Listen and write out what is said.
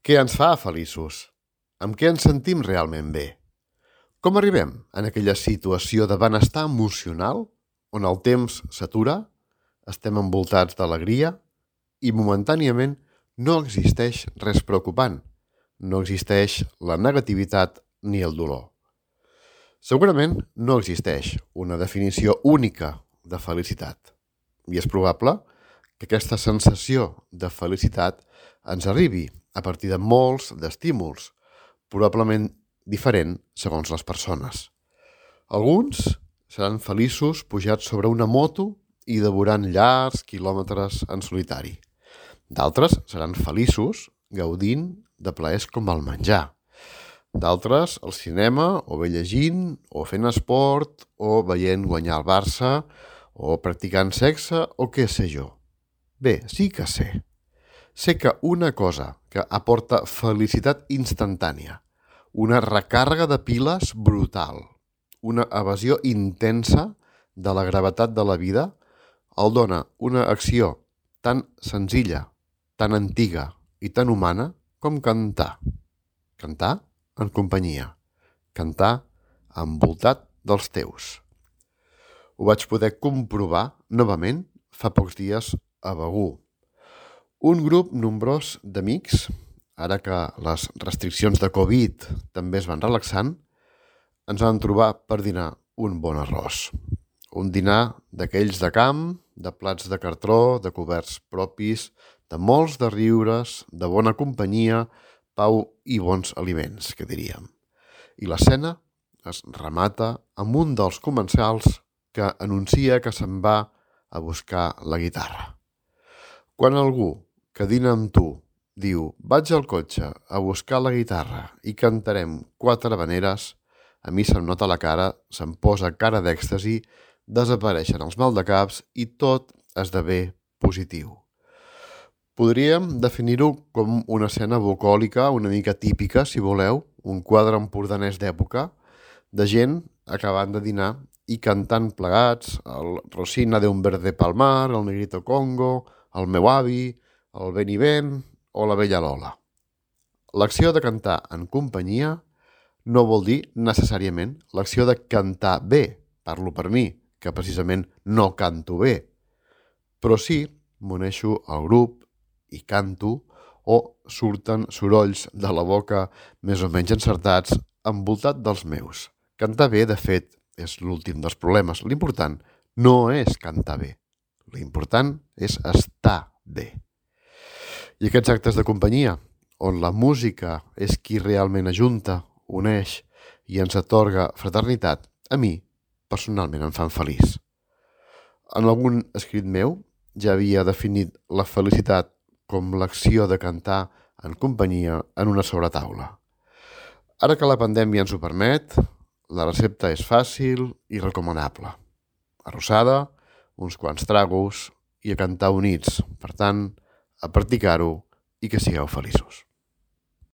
Què ens fa feliços? Amb què ens sentim realment bé? Com arribem en aquella situació de benestar emocional on el temps s'atura, estem envoltats d'alegria i momentàniament no existeix res preocupant, no existeix la negativitat ni el dolor. Segurament no existeix una definició única de felicitat i és probable que aquesta sensació de felicitat ens arribi a partir de molts d'estímuls, probablement diferent segons les persones. Alguns seran feliços pujats sobre una moto i devorant llargs quilòmetres en solitari. D'altres seran feliços gaudint de plaers com el menjar. D'altres al cinema, o bé llegint, o fent esport, o veient guanyar el Barça, o practicant sexe, o què sé jo. Bé, sí que sé. Sé que una cosa que aporta felicitat instantània, una recàrrega de piles brutal, una evasió intensa de la gravetat de la vida, el dona una acció tan senzilla, tan antiga i tan humana com cantar. Cantar en companyia. Cantar envoltat dels teus. Ho vaig poder comprovar novament fa pocs dies a Begur. Un grup nombrós d'amics, ara que les restriccions de Covid també es van relaxant, ens vam trobar per dinar un bon arròs. Un dinar d'aquells de camp, de plats de cartró, de coberts propis, de molts de riures, de bona companyia, pau i bons aliments, que diríem. I la cena es remata amb un dels comensals que anuncia que se'n va a buscar la guitarra. Quan algú que dina amb tu diu «vaig al cotxe a buscar la guitarra i cantarem 4 habaneres», a mi se'm nota la cara, se'm posa cara d'èxtasi, desapareixen els maldecaps i tot esdevé positiu. Podríem definir-ho com una escena bucòlica una mica típica, si voleu, un quadre empordanès d'època, de gent acabant de dinar i cantant plegats el Rosina de un verde palmar, el Negrito Congo, el meu avi, el Ben i Ben o la Bella Lola. L'acció de cantar en companyia no vol dir necessàriament l'acció de cantar bé, parlo per mi, que precisament no canto bé, però sí m'uneixo al grup i canto o surten sorolls de la boca més o menys encertats envoltat dels meus. Cantar bé, de fet, és l'últim dels problemes. L'important no és cantar bé, l'important és estar bé. I aquests actes de companyia, on la música és qui realment ajunta, uneix i ens atorga fraternitat, a mi, personalment, em fan feliç. En algun escrit meu ja havia definit la felicitat com l'acció de cantar en companyia en una sobretaula. Ara que la pandèmia ens ho permet, la recepta és fàcil i recomanable. Arrossada, uns quants tragos i a cantar units. Per tant, a practicar-ho i que sigueu feliços.